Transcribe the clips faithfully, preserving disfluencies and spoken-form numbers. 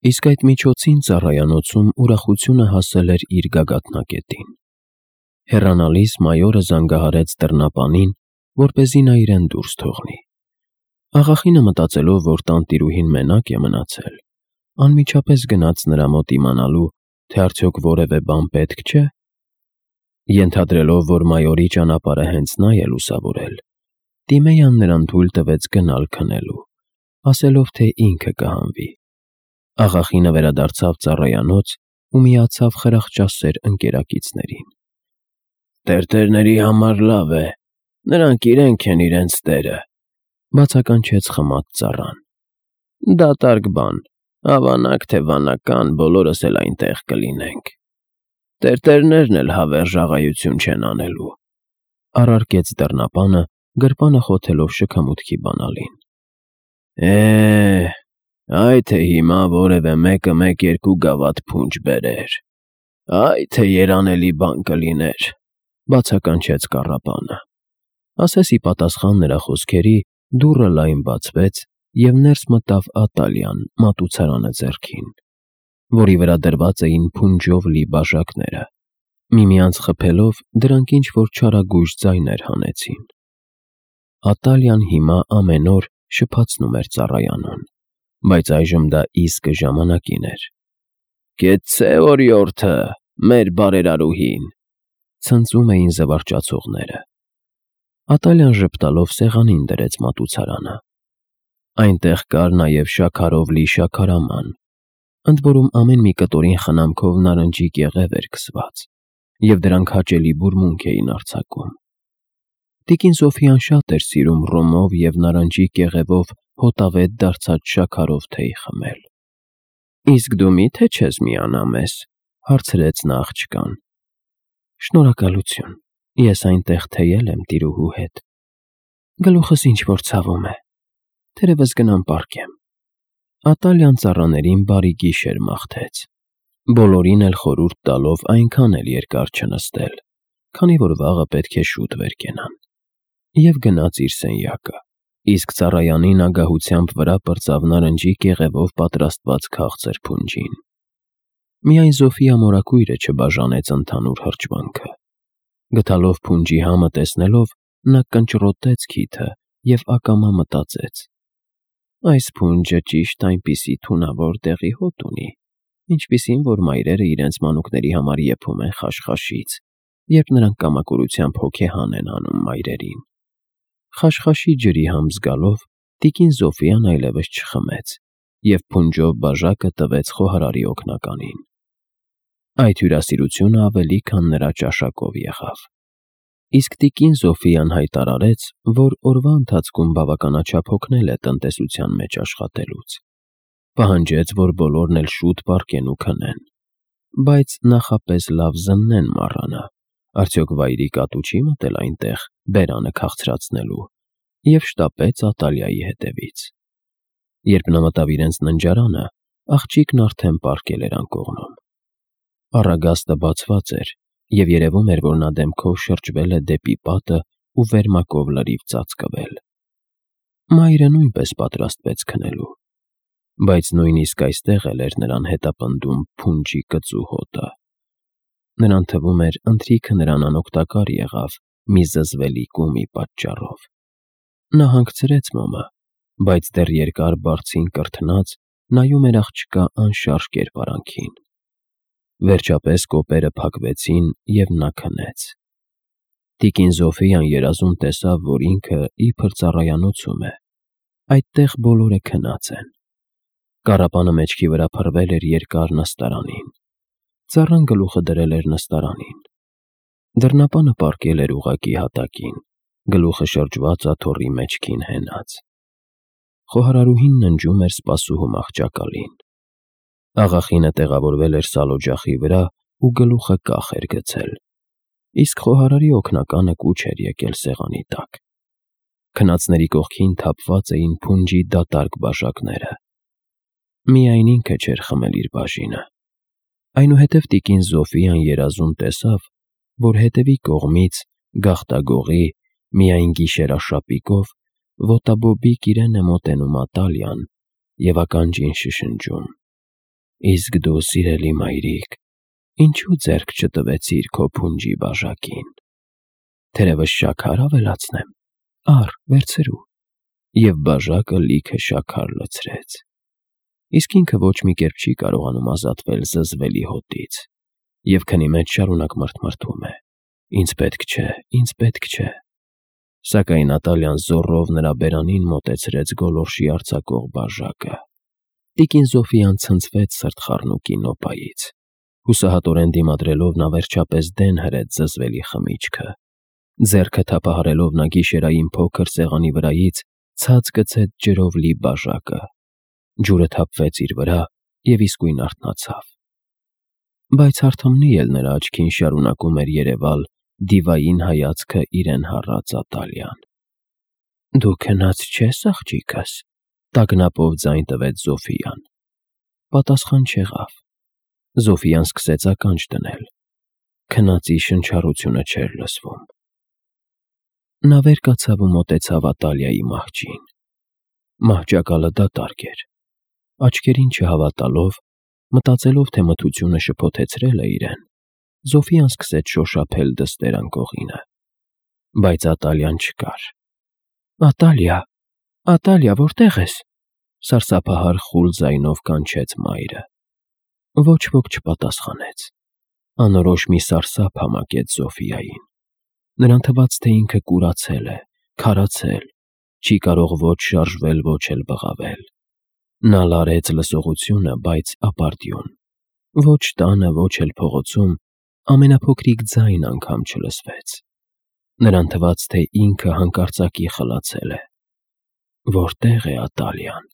Իսկ այդ միջոցին ծառայանոցում ուրախությունը հասել էր իր գագաթնակետին։ Հեռանալիս մայորը զանգահարեց դռնապանին, որպեսզի նա իրեն դուրս թողնի։ Աղախինը, մտածելով, որ տանտիրուհին մենակ է մնացել, անմիջապես գնաց նրա մոտ իմանալու, թե արդյոք որևէ բան պետք չէ։ Ենթադրելով, որ մայորի ճանապարհը հենց նա է լուսավորել, Տիմեյան նրան թույլ տվեց գնալ քնելու, ասելով, թե ինքը կհանվի։ Աղախինը վերադարձավ ծառայանոց ու միացավ խրախճասեր ընկերակիցներին։ Տերտերների համար լավ է, նրանք իրենք են իրենց տերը, բացականչեց խմած ծառան։ Դատարկ բան, հավանակ թե վանական, բոլորս էլ այնտեղ կլինենք։ Տերտերներն էլ հավերժ աղայություն չեն անելու, առարկեց դռնապանը, գրպանը խոթելով շքամուտքի բանալին։ Է, այ թե հիմա որևէ մեկը մեկ-երկու գավաթ փունջ բերեր, այ թե երանելի բան կլիներ, բացականչեց կառապանը։ Ասես ի պատասխան նրա խոսքերի դուռը լայն բացվեց, և ներս մտավ Ատալիան մատուցարանը ձեռքին, որի վրա դրված էին փունջով լի բաժակները։ Միմյանց խփելով, դրանք ինչ-որ չարագույժ ձայներ հանեցին։ Ատալիան հիմա ամեն օր շփացնում էր ծառայանուն, բայց այժմ դա իսկը ժամանակին էր։ Կեցցե օրիորդը, մեր բարերարուհին, ցնծում էին զվարճացողները։ Ատալիան ժպտալով սեղանին դրեց մատուցարանը։ Այնտեղ կար նաև շաքարով լի շաքարաման, ընդ որում ամեն մի կտորին խնամքով նարնջի կեղև էր քսված, և դրանք հաճելի բուրմունք էին արձակում։ Տիկին Սոֆյան շատ էր սիրում ռոմով և նարնջի կեղևով հոտավետ դարձած շաքարով թեյ խմել։ Իսկ դու մի՞թե չես միանա մեզ, հարցրեց նա աղջկան։ Շնորհակալություն, ես այնտեղ թեյել եմ տիրուհու հետ։ Գլուխս ինչ-որ ցավում է, թերևս գնամ պառկեմ։ Ատալիան ծառաներին բարի գիշեր մաղթեց, բոլորին էլ խորհուրդ տալով այնքան էլ երկար չնստել, քանի որ վաղը պետք է շուտ վեր կենան, և գնաց իր սենյակը, իսկ ծառայանին ագահությամբ վրա պրծավ նարնջի կեղևով պատրաստված քաղցր փունջին։ Միայն Զոֆիա մորաքույրը չբաժանեց ընդհանուր հրճվանքը։ Գթալով փունջի համը տեսնելով, նա կնճռոտեց քիթը և ակամա մտածեց. այս փունջը ճիշտ այնպիսի թունավոր դեղի հոտ ունի, ինչպիսին որ մայրերը իրենց մանուկների համար եփում են խաշխաշից, երբ նրանք կամակորությամբ հոգեհան են անում մայրերին։ Խաշխաշի ջրի համ զգալով, տիկին Զոֆիան այլևս չխմեց և փունջով բաժակը տվեց խոհարարի օգնականին։ Այդ հյուրասիրությունը ավելի քան նրա ճաշակով եղավ։ Իսկ տիկին Զոֆիան հայտարարեց, որ օրվա ընթացքում բավականաչափ հոգնել է տնտեսության մեջ աշխատելուց։ Պահանջեց, որ բոլորն էլ շուտ պառկեն ու քնեն, բայց նախապես լավ զննեն մառանը, արդյոք վայրի կատու չի մտել այնտեղ բերանը քաղցրացնելու, և շտապեց Ատալիայի հետևից։ Երբ նա մտավ իրենց ննջարանը, աղջիկն արդեն պառկել էր անկողնում։ Առագաստը բացված էր, և երևում էր, որ նա դեմքով շրջվել է դեպի պատը ու վերմակով լրիվ ծածկվել։ Մայրը նույնպես պատրաստվեց քնելու, բայց նույնիսկ այստեղ էլ էր նրան հետապնդում փունջի կծու հոտը։ Նրան թվում էր, ընթրիքը նրան անօգտակար եղավ մի զզվելի կումի պատճառով։ Նա հանգցրեց մոմը, բայց դեռ երկար բարձին կրթնած նայում էր աղջկա անշարժ կերպարանքին։ Վերջապես կոպերը փակվեցին, և նա քնեց։ Տիկին Զոֆիան երազում տեսավ, որ ինքը իբր ծառայանոցում է, այդտեղ բոլորը քնած են։ Կառապանը մեջքի վրա փռվել էր երկար նստարանին։ Ծառան գլուխը դրել էր նստարանին։ Դռնապանը պառկել էր ուղղակի հատակին, գլուխը շրջված աթոռի մեջքին հենած։ Խոհարարուհին ննջում էր սպասուհու մահճակալին։ Աղախինը տեղավորվել էր սալօջախի վրա ու գլուխը կախ էր գցել, իսկ խոհարարի օգնականը կուչ էր եկել սեղանի տակ։ Քնածների կողքին թափված էին փունջի դատարկ բաժակները։ Միայն ինքը չէր խմել իր բաժինը։ Այնուհետև տիկին Զոֆիան երազում տեսավ, որ հետևի կողմից, գաղտագողի, միայն գիշերաշապիկով, ոտաբոբիկ իրեն է մոտենում Ատալիան և ականջին շշնջում. Իսկ դու, սիրելի մայրիկ, ինչու ձեռք չտվեցիր քո փունջի բաժակին։ Թերևս շաքար ավելացնեմ, առ, վերցրու։ Եվ բաժակը լիքը շաքար լցրեց։ Իսկ ինքը ոչ մի կերպ չի կարողանում ազատվել զզվելի հոտից, և քնի մեջ շարունակ մրթմրթում է. «Ինձ պետք չէ, ինձ պետք չէ»։ Սակայն Ատալյան զոռով նրա բերանին մոտեցրեց գոլորշի արձակող բաժակը։ Տիկին Զոֆիան ցնցվեց սրտխառնուկի նոպայից։ Հուսահատորեն դիմադրելով նա վերջապես դեն հրեց զզվելի խմիչքը։ Ձեռքը թափահարելով նա գիշերային փոքր սեղանի վրայից ցած գցեց ջրով լի բաժակը։ Ջուրը թափվեց իր վրա և իսկույն արթնացավ։ Բայց հարթամնի էլ նրա աչքին շարունակում էր երևալ դիվային հայացքը իրեն հառած Ատալյան։ «Դու քնած չե՞ս, աղջիկս», տագնապով ձայն տվեց Զոֆիան։ Պատասխան չեղավ։ Զոֆիան սկսեց ականջ դնել։ Քնածի շնչառությունը չէր լսվում։ Նա վեր կացավ ու մոտեցավ Ատալիայի մահճին։ Մահճակալը դատարկ էր։ Աչքերին չհավատալով, մտածելով, թե մթությունը շփոթեցրել է իրեն, Զոֆիան սկսեց շոշափել դստեր անկողինը։ Բայց Ատալիան չկար։ «Ատալիա, Ատալիա, որտե՞ղ ես», սարսափահար խուլ ձայնով կանչեց մայրը։ Ոչ ոք չպատասխանեց։ Անորոշ մի սարսափ համակեց Զոֆիային։ Նրան թվաց, թե ինքը կուրացել է, քարացել, չի կարող ոչ շարժվել, ոչ էլ բղավել։ Նա լարեց լսողությունը, բայց ապարդյուն։ Ոչ տանը, ոչ էլ փողոցում ամենափոքրիկ ձայն անգամ չլսվեց։ Նրան թվաց, թե ինքը հանկարծակի խլացել է։ Որտե՞ղ է Ատալիան։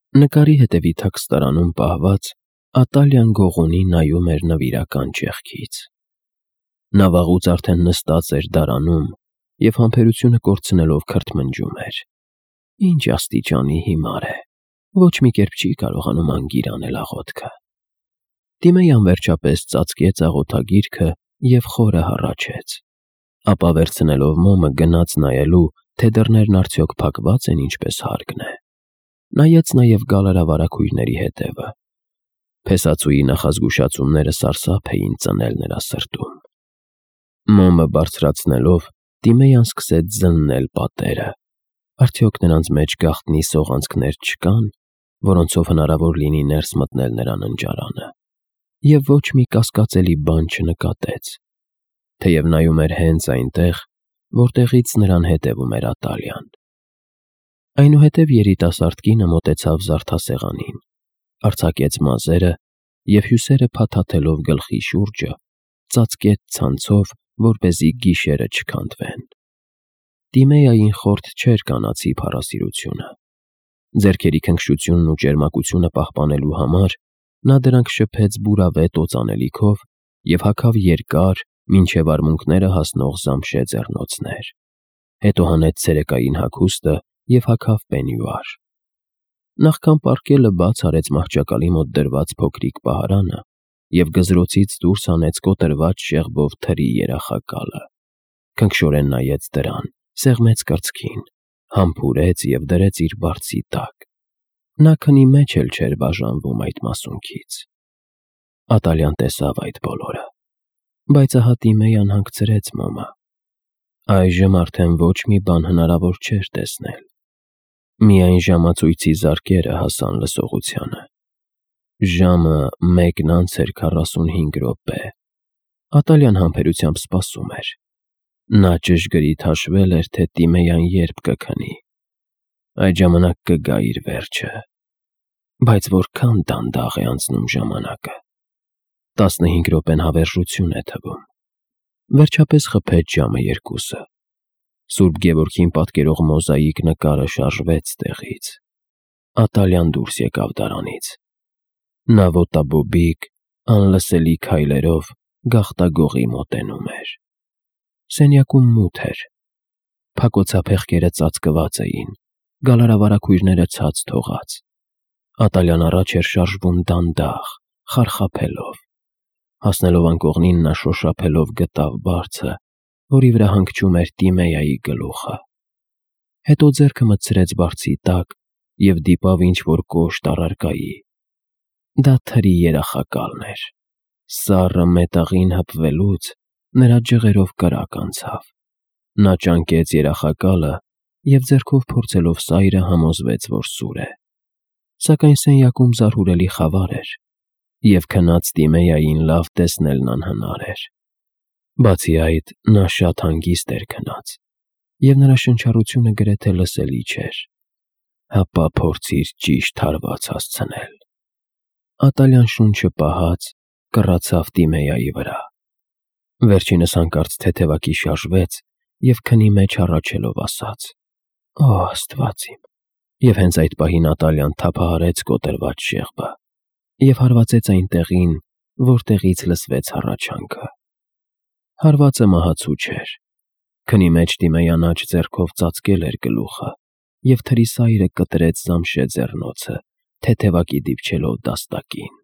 Նկարի հետևի թաքստարանում պահված Ատալիան գողունի նայում էր նվիրական ճեղքից։ Նա վաղուց արդեն նստած էր դարանում և համբերությունը կորցնելով քրթմնջում էր։ Ինչ աստիճանի հիմար է, ոչ մի կերպ չի կարողանում անգիր անել աղոթքը։ Տիմեյան վերջապես ծածկեց աղոթագիրքը և խորը հառաչեց։ Ապա վերցնելով մոմը գնաց նայելու, թե դռներն արդյոք փակված են ինչպես հարկն է։ Նայեց նաև գալարավարագույրների հետևը։ Փեսացուի նախազգուշացումները սարսափ էին ծնել նրա սրտում։ Մոմը բարձրացնելով, Տիմեյան սկսեց զննել պատերը։ Արդյոք նրանց մեջ գաղտնի սողանցքներ չկան, որոնցով հնարավոր լինի ներս մտնել նրա ննջարանը։ Եվ ոչ մի կասկածելի բան չնկատեց, թեև նայում էր հենց այնտեղ, որտեղից նրան հետևում էր Ատալիան։ Այնուհետև երիտասարդ կինը մոտեցավ զարդասեղանին, արձակեց մազերը և հյուսերը փաթաթելով գլխի շուրջը, ծածկեց ցանցով, որպեսզի գիշերը չքանդվեն։ Տիմեյային խորթ չէր կանացի փառասիրությունը։ Ձեռքերի քնքշությունն ու ճերմակությունը պահպանելու համար նա դրանք շփեց բուրավետ օծանելիքով և հագավ երկար, մինչև արմունկները հասնող զամշե ձեռնոցներ։ Հետո հանեց ցերեկային հագուստը և հագավ պենյուար։ Նախքան պառկելը բաց արեց մահճակալի մոտ դրված փոքրիկ պահարանը և գզրոցից դուրս հանեց կոտրված շեղբով թրի երախակալը։ Քնքշորեն նայեց դրան, սեղմեց կրծքին, համբուրեց և դրեց իր բարձի տակ։ Նա քնի մեջ էլ չէր բաժանվում այդ մասունքից։ Ատալյան տեսավ այդ բոլորը, բայց ահա Տիմեյան հանգցրեց մոմը։ Այժմ արդեն ոչ մի բան հնարավոր չէր տեսնել։ Միայն ժամացույցի զարկերը հասան լսողությանը։ Ժամը մեկն անց էր քառասունհինգ րոպե։ Ատալյան համբերությամբ սպասում էր։ Նա ճշգրիտ հաշվել էր, թե Տիմեյան երբ կքնի։ Այդ ժամանակ կգա իր վերջը։ Բայց որքան դանդաղ է անցնում ժամանակը։ Տասնհինգ րոպեն հավերժություն է թվում։ Վերջապես խփեց ժամը երկուսը։ Սուրբ Գևորգին պատկերող մոզաիկ նկարը շարժվեց տեղից։ Ատալյան դուրս եկավ դարանից։ Նա ոտաբոբիկ, անլսելի քայլերով գաղտագողի մոտենում էր։ Սենյակում մութ էր։ Փակոցափեղկերը ծածկված էին, գալարավարագույրները ցած թողած։ Ատալյան առաջ էր շարժվում դանդաղ, խարխափելով։ Հասնելով անկողնին, նա շոշափելով գտավ բարձը, որի վրա հանգչում էր Տիմեյայի գլուխը։ Հետո ձեռքը մտցրեց բարձի տակ և դիպավ ինչ-որ կոշտ առարկայի։ Դա թրի երախակալն էր։ Սառը մետաղին հպվելուց նրա ջղերով կրակ անցավ։ Նա ճանկեց երախակալը և ձեռքով փորձելով սայրը համոզվեց, որ սուր է։ Սակայն սենյակում զարհուրելի խավար էր, և քնած Տիմեյային լավ տեսնելն անհնար էր։ Բացի այդ, նա շատ հանգիստ էր քնած, և նրա շնչառությունը գրեթե լսելի չէր։ Հապա փորձիր ճիշտ հարված հասցնել։ Ատալյան շունչը պահած կռացավ Տիմեյայի վրա։ Վերջինս հանկարծ թեթևակի շարժվեց և քնի մեջ հառաչելով ասաց. «Օ Աստված իմ»։ Եվ հենց այդ պահին Ատալյան թափահարեց կոտրված շեղբը և հարվածեց այն տեղին, որտեղից լսվեց հառաչանքը։ Հարվածը մահացու չէր։ Քնի մեջ Տիմեյան աջ ձեռքով ծածկել էր գլուխը, և թրի սայրը կտրեց Զամշե ձեռնոցը, թեթևակի դիպչելով դաստակին։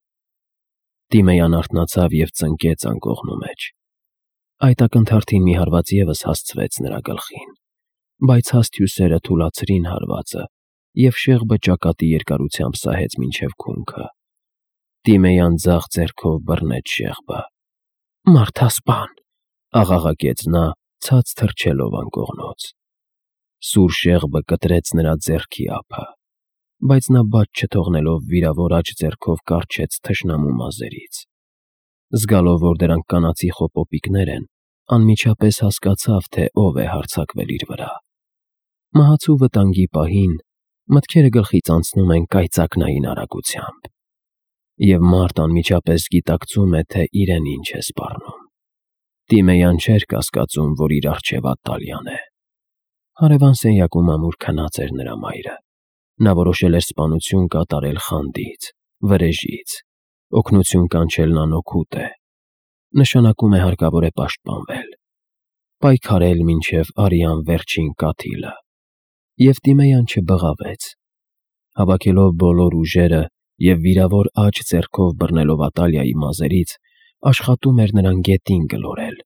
Տիմեյան արթնացավ և ծնկեց անկողնու մեջ։ Այդ ակնթարթին մի հարված ևս հասցվեց նրա գլխին, բայց հաստ հյուսերը թուլացրին հարվածը, և շեղբը ճակատի երկարությամբ սահեց մինչև քունքը։ Տիմեյան ձախ ձեռքով բռնեց շեղբը։ «Մարդասպան», աղաղակեց նա, ցած թռչելով անկողնուց։ Սուր շեղբը կտրեց նրա ձեռքի ափը, բայց նա բաց չթողնելով վիրավոր աջ ձեռքով կառչեց թշնամու մազերից։ Զգալով, որ դրանք կանացի խոպոպիկներ են, անմիջապես հասկացավ, թե ով է հարձակվել իր վրա։ Մահացու վտանգի պահին մտքերը գլխից անցնում են կայծակնային արագությամբ, և մարդ անմիջապես գիտակցում է, թե իրեն ինչ է սպառնում։ Տիմեյան չէր կասկածում, որ իր առջև Ատալյան է։ Հարևան սենյակում ամուր քնած էր նրա մայրը։ Նա որոշել էր սպանություն կատարել խանդից, վրեժից։ Օգնություն կանչելն անօգուտ է։ Նշանակում է հարկավոր է պաշտպանվել, պայքարել մինչև արյան վերջին կաթիլը։ Եվ Տիմեյան չբղավեց։ Հավաքելով բոլոր ուժերը և վիրավոր աջ ձեռքով բռնելով Ատալիայի մազերից, աշխատում էր նրան գետին գլորել,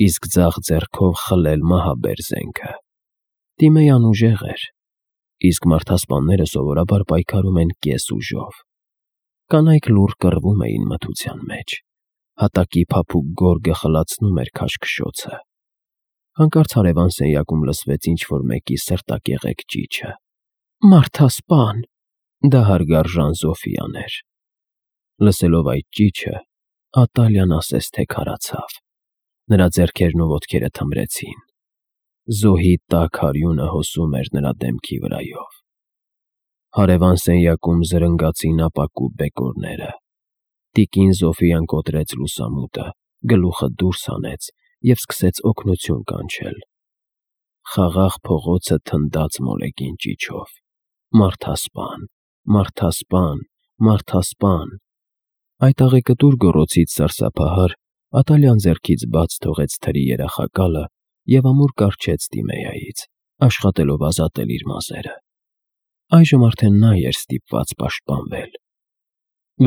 իսկ ձախ ձեռքով խլել մահաբեր զենքը։ Տիմեյան ուժեղ էր, իսկ մարդասպանները սովորաբար պայքարում են կես ուժով։ Կանայք լուռ կռվում էին մթության մեջ։ Հատակի փափուկ գորգը խլացնում էր քաշքշոցը։ Հանկարծ հարևան սենյակում լսվեց ինչ-որ մեկի սրտակեղեք ճիչը։ «Մարդասպան»։ Դա հարգարժան Զոֆիան էր։ Լսելով այդ ճիչը, Ատալյան ասես թե քարացավ։ Նրա ձեռքերն ու ոտքերը թմրեցին։ Զոհի տաք արյունը հոսում էր նրա դեմքի վրայով։ Հարևան սենյակում զրնգացին ապակու բեկորները։ Տիկին Զոֆիան կոտրեց լուսամուտը, գլուխը դուրս հանեց և սկսեց օգնություն կանչել։ Խաղաղ փողոցը թնդաց մոլեգին ճիչով. «Մարդասպան, մարդասպան, մարդասպան»։ Այդ աղեկտուր գոռոցից սարսափահար Ատալյան ձեռքից բաց թողեց թրի երախակալը և ամուր կառչեց Տիմեյայից, աշխատելով ազատել իր մազերը։ Այժմ արդեն նա էր ստիպված պաշտպանվել։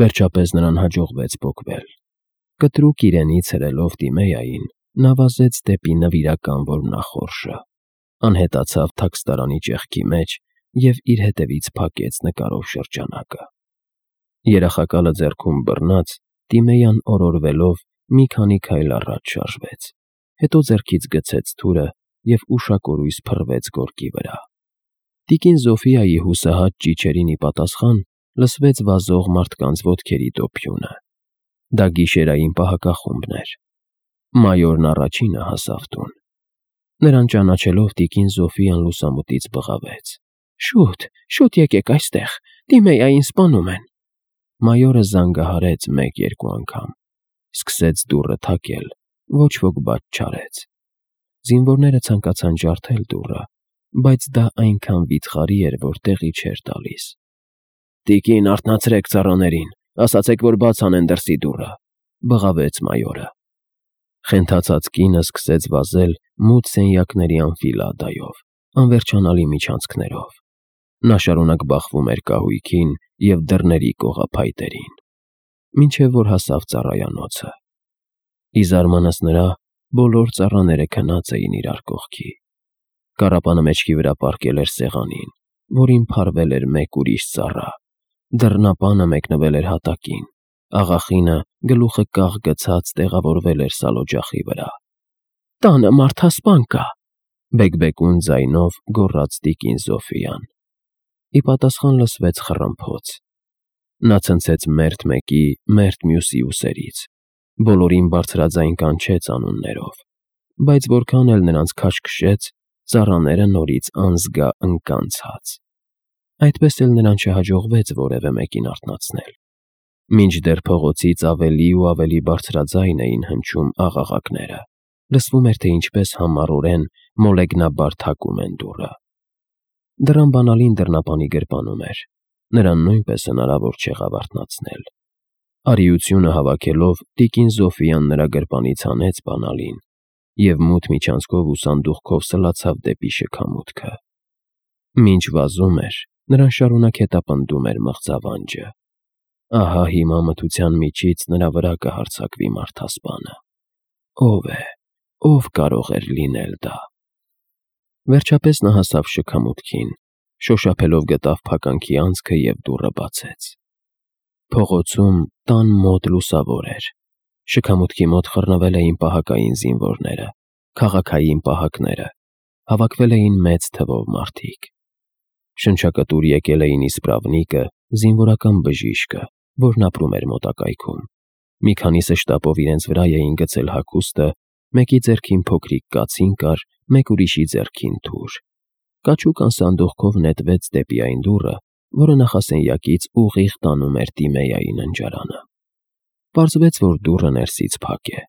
Վերջապես նրան հաջողվեց պոկվել։ Կտրուկ իրենից հրելով Տիմեյային, նա վազեց դեպի նվիրական որմնախորշը, անհետացավ թաքստարանի ճեղքի մեջ և իր հետևից փակեց նկարով շրջանակը։ Երախակալը ձեռքում բռնած, Տիմեյան օրորվելով մի քանի քայլ առաջ շարժվեց, հետո ձեռքից գցեց թուրը և ուշակորույս փռվեց գորգի վրա։ Տիկին Զոֆիայի հուսահատ ճիչերին ի պատասխան լսվեց վազող մարդկանց ոտքերի դոփյունը։ Դա գիշերային պահակախումբն էր։ Մայորն առաջինը հասավ տուն։ Նրան ճանաչելով տիկին Զոֆիան լուսամուտից բղավեց. «Շուտ, շուտ եկեք այստեղ, Տիմեյային սպանում են»։ Մայորը զանգահարեց մեկ֊երկու անգամ, սկսեց դուռը թակել, ոչ ոք բաց չարեց։ Զինվորները ցանկացան ջարդել դուռը, բայց դա այնքան վիթխարի էր, որ տեղի չէր տալիս։ «Տիկին, արթնացրեք ծառաներին, ասացեք, որ բաց անեն դրսի դուռը», բղավեց մայորը։ Խենթացած կինը սկսեց վազել մութ սենյակների անֆիլադայով, անվերջանալի միջանցքներով։ Նա շարունակ բախվում էր կահույքին և դռների կողափայտերին, մինչև որ հասավ ծառայանոցը։ Ի զարմանս նրա, բոլոր ծառաները քնած էին իրար կողքի։ Կառապանը մեջքի վրա պառկել էր սեղանին, որին փարվել էր մեկ ուրիշ ծառա, Դռնապանը մեկնվել էր հատակին, աղախինը գլուխը կաղ գցած տեղավորվել էր սալօջախի վրա։ «Տանը մարդասպան կա», բեկբեկուն ձայնով գոռաց տիկին Զոֆիան։ Ի պատասխան լսվեց խռմփոց։ Նա ցնցեց մերթ մեկի, մերթ մյուսի ուսերից, բոլորին բարձրաձայն կանչեց անուններով, բայց որքան էլ նրանց քաշքշեց, ծառաները նորից անզգա ընկան ցած։ Այդպես էլ նրան չհաջողվեց որևէ մեկին արթնացնել։ Մինչդեռ փողոցից ավելի ու ավելի բարձրաձայն էին հնչում աղաղակները, լսվում էր, թե ինչպես համառորեն մոլեգնաբար թակում են դուռը։ Դռան բանալին դռնապանի գրպանում էր, նրան նույնպես հնարավոր չեղավ արթնացնել։ Արիությունը հավաքելով տիկին Զոֆիան նրա գրպանից հանեց բանալին և մութ միջանցքով ու սանդուղքով սլացավ դեպի շքամուտքը։ Մինչ վազում էր, նրան շարունակ հետապնդում էր մղձավանջը։ Ահա հիմա մթության միջից նրա վրա կհարձակվի մարդասպանը։ Ո՞վ է, ո՞վ կարող էր լինել դա։ Վերջապես նա հասավ շքամուտքին, շոշափելով գտավ փականքի անցքը և դուռը բացեց։ Փողոցում տան մոտ լուսավոր էր։ Շքամուտքի մոտ խռնվել էին պահակային զինվորները, քաղաքային պահակները, հավաքվել էին մեծ թվով մարդիկ։ Շնչակտուր եկել էին իսպրավնիկը, զինվորական բժիշկը, որն ապրում էր մոտակայքում։ Մի քանիսը շտապով իրենց վրա էին գցել հագուստը, մեկի ձեռքին փոքրիկ կացին կար, մեկ ուրիշի ձեռքին թուր։ Կաչուկան սանդուղքով նետվեց դեպի այն դուռը, որը նախասենյակից ուղիղ տանում էր Տիմեայի ննջարանը։ Պարզվեց, որ դուռը ներսից փակ է։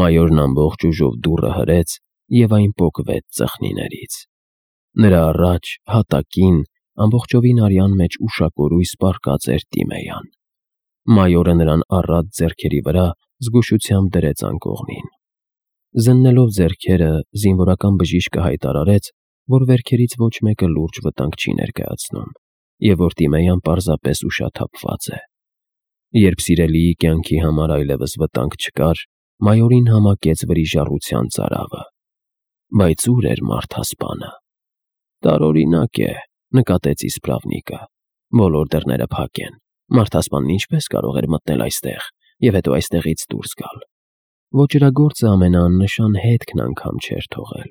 Մայորն ամբողջ ուժով դուռը հրեց և այն պոկվեց ծխնիներից։ Նրա առաջ, հատակին, ամբողջովին արյան մեջ ուշակորույս պառկած էր Տիմեյան։ Մայորը նրան առատ ձեռքերի վրա զգուշությամբ դրեց անկողնին։ Զննելով ձեռքերը, զինվորական բժիշկը հայտարարեց, որ վերքերից ոչ մեկը լուրջ վտանգ չի ներկայացնում և որ Տիմեյան պարզապես ուշաթափված է։ Երբ սիրելիի կյանքի համար այլևս վտանգ չկար, մայորին համակեց վրիժառության ծարավը։ Բայց ո՞ւր էր մարդասպանը։ Տարօրինակ է, նկատեց իսպրավնիկը։ Բոլոր դռները փակ են։ Մարդասպանն ինչպես կարող էր մտնել այստեղ և հետո այստեղից դուրս գալ։ Ոճրագործը ամենաաննշան հետքն անգամ չէր թողել։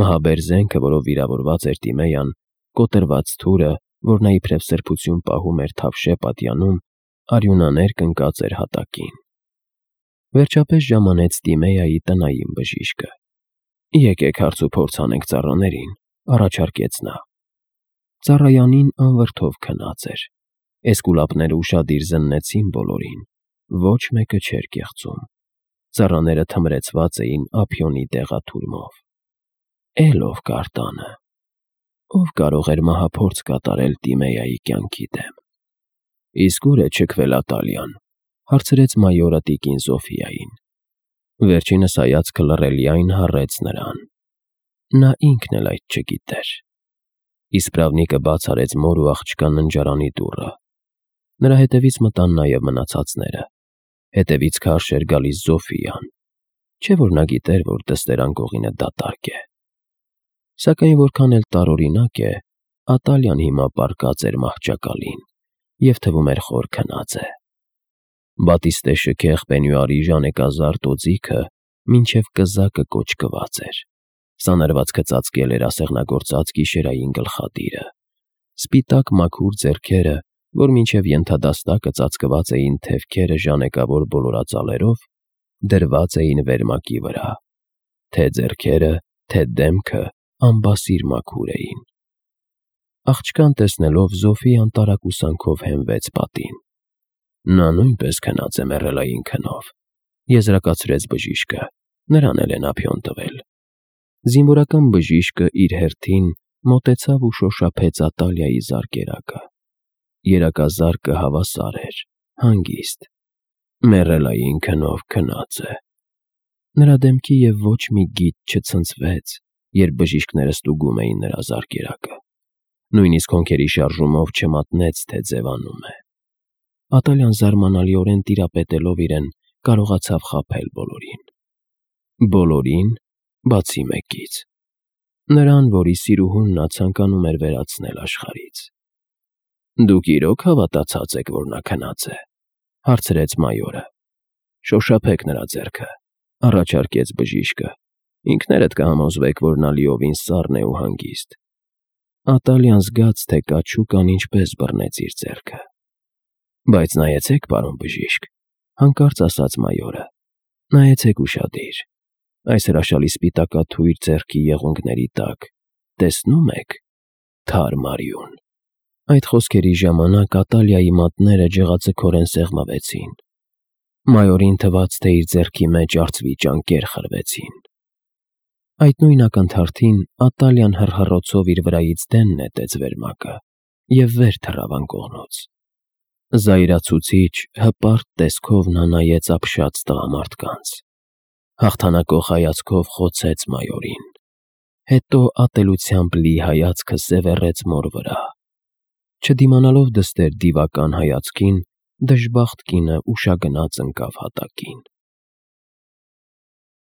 Մահաբեր զենքը, որով վիրավորված էր Տիմեյան, կոտրված թուրը, որ նա իբրև սրբություն պահում էր թավշե պատյանում, արյունաներ կնկած էր հատակին։ Վերջապես ժամանեց Տիմեայի տնային բժիշկը։ Եկեք հարցուփորձ անենք ծառաներին, առաջարկեց նա։ Ծառայանին անվրդով քնած էր։ Էսկուլապները ուշադիր զննեցին բոլորին։ Ոչ մեկը չէր կեղծում։ Ծառաները թմրեցված էին ափիոնի դեղաթուրմով։ Էլ ով կար տանը։ Ով կարող էր մահափորձ կատարել Տիմեայի կյանքի դեմ։ Իսկ ո՞ւր է չքվել Ատալիան, հարցրեց մայորը տիկին Զոֆիային։ Վերջինս հայացքը լռելիայն հառեց նրան։ Նա ինքն էլ այդ չգիտեր։ Իսպրավնիկը բաց արեց մոր ու աղջկա ննջարանի դուռը։ Նրա հետևից մտան նաև մնացածները։ Հետևից քարշ էր գալիս Զոֆիան։ Չէ՞ որ նա գիտեր, որ դստեր անկողինը դատարկ է։ Սակայն որքան էլ տարօրինակ է, Ատալիան հիմա պառկած էր մահճակալին և թվում էր խոր քնած է։ Բատիստե շքեղ պենյուարի ժանեկազարդ օձիքը մինչև կզակը կոճկված էր։ Սանրվածքը ծածկել էր ասեղնագործած գիշերային գլխատիրը։ Սպիտակ մաքուր ձեռքերը, որ մինչև ենթադաստակը ծածկված էին թևքերը ժանեկավոր բոլորածալերով, դրված էին վերմակի վրա։ Թե ձեռքերը, թե դեմքը անբասիր մաքուր էին։ Աղջկան տեսնելով Զոֆիան տարակուսանքով հենվեց պատին։ Նա նույնպես քնած է մեռելային քնով, եզրակացրեց բժիշկը, նրան էլ են ափիոն տվել։ Զինվորական բժիշկը իր հերթին մոտեցավ ու շոշափեց Ատալիայի զարկերակը։ Երակազարկը հավասար էր, հանգիստ։ Մեռելային քնով քնած է։ Նրա դեմքի և ոչ մի գիծ չցնցվեց, երբ բժիշկները ստուգում էին նրա զարկերակը։ Նույնիսկ հոնքերի շարժումով չմատնեց, թե ձևանում է։ Ատալիան զարմանալիորեն տիրապետելով իրեն, կարողացավ խաբել բոլորին։ Բոլորին, բացի մեկից։ Նրան, որի սիրուհուն նա ցանկանում էր վերացնել աշխարհից։ Դուք իրոք հավատացած եք, որ նա քնած է, հարցրեց մայորը։ Շոշափեք նրա ձեռքը, առաջարկեց բժիշկը։ Ինքներդ կհամոզվեք, որ նա լիովին սառն է ու հանգիստ։ Ատալյան զգաց, թե կաչուկան ինչպես բռնեց իր ձեռքը։ Բայց նայեցեք, պարոն բժիշկ, հանկարծ ասաց մայորը, նայեցեք ուշադիր, այս հրաշալի սպիտակաթույր ձեռքի եղունգների տակ, տեսնո՞ւմ եք, թարմ արյուն։ Այդ խոսքերի ժամանակ Ատալիայի մատները ջղաձգորեն սեղմվեցին։ Մայորին թվաց, թե իր ձեռքի մեջ արծվի ճանկեր խրվեցին։ Այդ նույն ակնթարթին Ատալիան հռհռոցով իր վրայից դեն նետեց վերմակը և վեր թռավ անկողնոց։ Զայրացուցիչ, հպարտ տեսքով նա նայեց ապշած տղամարդկանց։ Հաղթանակող հայացքով խոցեց մայորին։ Հետո ատելությամբ լի հայացքը սևեռեց մոր վրա։ Չդիմանալով դստեր դիվական հայացքին, դժբախտ կինը ուշագնաց ընկավ հատակին։